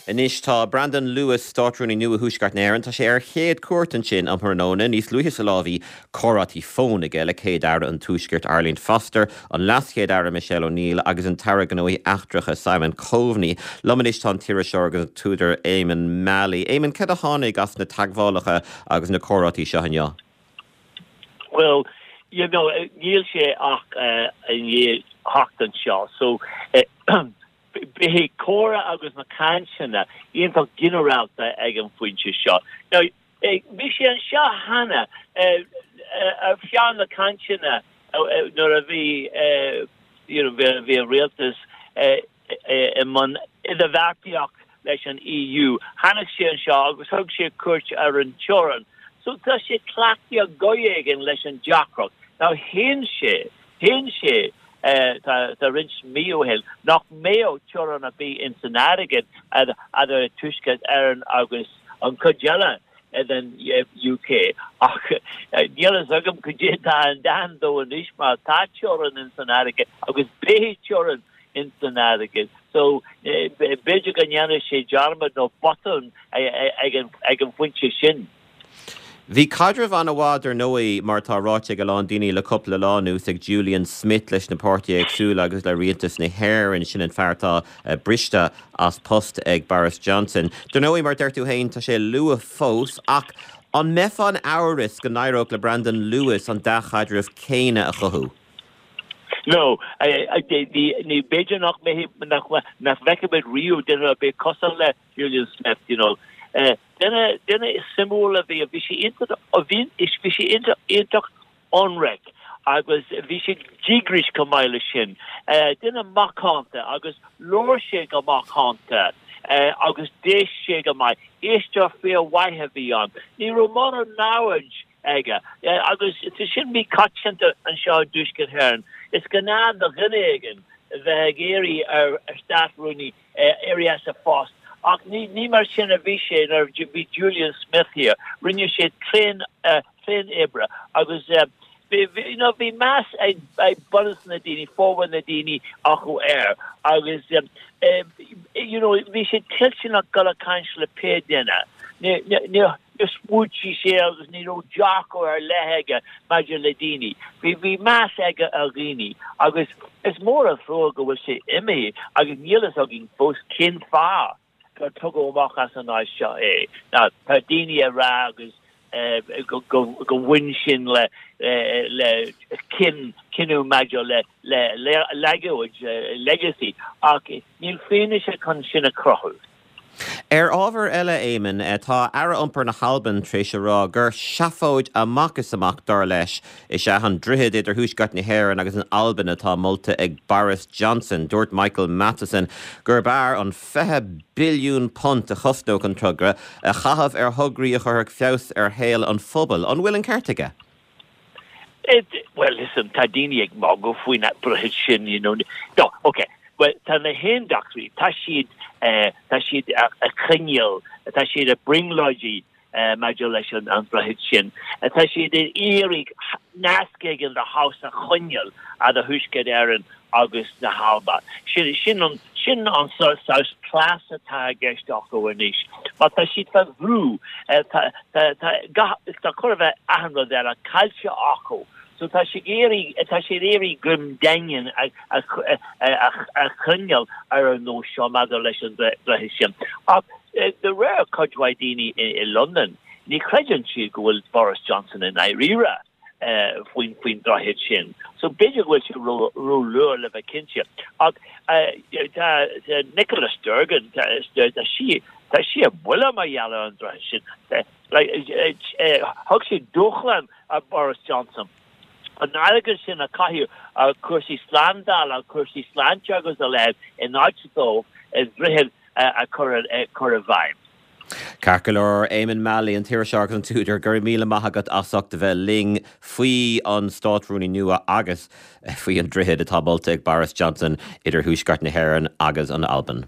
Anois tá Brandon Lewis, Státrúnaí nua Thuaisceart na hÉireann, tá sé ar a chéad cuairt ansin um thráthnóna. Níos luaithe sa lá bhí comhráití fóin aige le Céad-Aire an Tuaiscirt Arlene Foster, an LeasChéad-Aire Michelle O'Neill agus an tAire Gnóthaí Eachtracha Simon Coveney. Liom anois tá an t-iriseoir agus an t-údar Eamonn Mallie. Eamonn, cad a tháinig as na teagmhálacha agus na comhráití seo inniu? Bhuel, you know, níl sé ach i ndiaidh theacht anseo so Beidh comhrá agus na cainteanna iontach ginearálta ag an phointe seo. Now, bhí sé anseo cheana ar feadh na cainteanna nuair a bhí you know bhí an rialtas i mbun idirbheartaíocht leis an EU. Tháinig sé anseo agus thug sé cuairt ar an teorainn. So tá sé cleachtaithe go éigin leis an deacracht. Now shéan sé Shéan sé tá roinnt mí ó shin nach mbeadh teorainn ar bith ins an fharraige eadar Tuaisceart Éireann agus an chuid eile den UK ach níl fhios agam cad é atá i ndán dó anois mar tá teorainn ins an fharraige agus beidh teorainn ins an fharraige so b'fhéidir go ndéanfaidh sé dearmad nó botún ag an phointe sin. Bhí caidreamh an-mhaith, dar ndóigh, mar atá ráite ag a lán daoine le cúpla lá anuas, ag Julian Smith leis na páirtithe éagsúla agus le rialtas na hÉireann. Sin an fear atá briste as post ag Boris Johnson. Dar ndóigh, mar a deir tú féin, tá sé luath fós, ach an mbeifeá in amhras go n-éireodh le Brandon Lewis an dea-chaidreamh céanna a chothú? No, ní, b'fhéidir nach mbeidh, nach bhfeicfimid riamh duine ar bith cosúil le Julian Smith, you know. Duine, duine suimiúil a bhí, bhí sé iontach, bhí, bhí sé iontach, iontach ionraic agus bhí sé díograiseach chomh maith leis sin. Duine macánta agus labhair sé go macánta agus d'éist sé go maith. Éisteoir fíormhaith a bhí ann. Ní raibh mórán namhaid aige agus tá sin míchoitianta anseo i dTuaisceart Éireann. Is gnáth do dhuine éigin bheith ag iarraidh ar Státrúnaí éirí as a phost. Ach ní mar sin a bhí sé nuair a bhí Julian Smith thiar. Rinne sé tréan oibre agus you know bhí meas ag bunús na daoine, formhór na daoine acu air agus you know bhí sé toilteanach dul ag caint le pé duine. Níor smaoitigh sé agus ní raibh dearcadh ar leith aige maidir le daoine. Bhí bhí meas aige ar dhaoine agus is mór an trua go bhfuil sé imithe agus níl fhios againn fós cén fáth gur tugadh amach as an áit seo é. Now tá daoine ag rá agus go go go bhain sin le le cinneadh maidir le le legacy legacy ach níl fianaise chun sin a chruthú. Ar ábhar eile, Éamonn, tá Aire Iompair na hAlban tar éis a rá gur seafóid amach is amach, dar leis, is ea an droichead idir Thuaisceart na hÉireann agus an Albain atá molta ag Boris Johnson. Dúirt Michael Matheson gurb fhearr an £20 billiún a chosnódh an togra a chaitheamh ar thograí a chuirfeadh feabhas ar shaol an phobail. An bhfuil an ceart aige? Well, listen, tá daoine ag magadh faoin droichead sin, you know. No, ok, well, tá na hAontachtaithe, tá siad, tá siad ag coinneáil, tá siad ag brionglóidí maidir leis an droichead sin. Tá siad ag iarraidh nasc éigin de shaghas a choinneáil idir Thuaisceart Éireann agus na hAlba. Sin, sin an, sin an saghas cleas atá i gceist acu anois. Mar tá siad fá bhrú, tá, tá, tá gach, tá chóir a bheith achan rud eile caillte acu. So tá siad ag iarraidh, tá siad ag iarraidh greim daingean a, a, a, a choinneáil ar an nós seo maidir leis an droichead sin. Ach de réir cuid mhaith daoine i, i Londain, ní chreideann siad go bhfuil Boris Johnson i ndáiríre. faoin faoin droichead sin. So b'fhéidir go bhfuil sé ró-luath le bheith cinnte. Ach tá Nicola Sturgeon, tá sí tá sí ar buile mar gheall ar an droichead sin. Thug sí dúshlán ar Boris Johnson an airgead sin a chaitheamh ar chúrsaí slándála, cúrsaí sláinte agus a leithéid in áit dó droichead a chur i bhfeidhm. Ceart go leor, Éamonn Mallie, an t-iriseoir agus an t-údar, go raibh míle maith agat as ucht a bheith linn faoi an Státrúnaí nua agus faoi an droichead atá molta ag Boris Johnson idir Thuaisceart na hÉireann agus an Albain.